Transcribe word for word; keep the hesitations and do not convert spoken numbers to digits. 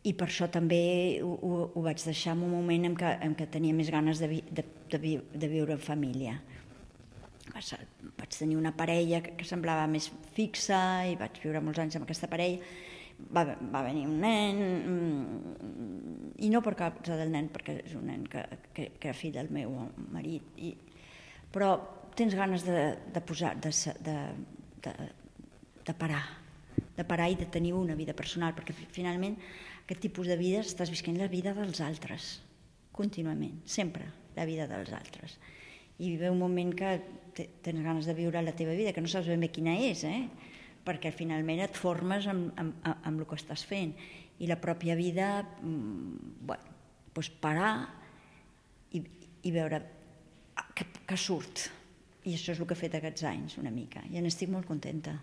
i per això també ho, ho, ho vaig deixar en un moment en què, en què tenia més ganes de, vi, de, de, vi, de viure en família. Vaig, vaig tenir una parella que, que semblava més fixa i vaig viure molts anys amb aquesta parella. Va, va venir un nen, i no per causa del nen, perquè és un nen que, que, que era fill del meu marit, i, però tens ganes de, de posar, de, de, de, de parar, de parar i de tenir una vida personal, perquè finalment aquest tipus de vida estàs visquent la vida dels altres, contínuament, sempre la vida dels altres. I ve un moment que tens ganes de viure la teva vida, que no saps ben bé quina és, eh? Perquè finalment et formes amb, amb, amb el que estàs fent. I la pròpia vida, bueno, doncs parar i, i veure que, que surt. I això és el que he fet aquests anys, una mica, i n'estic molt contenta.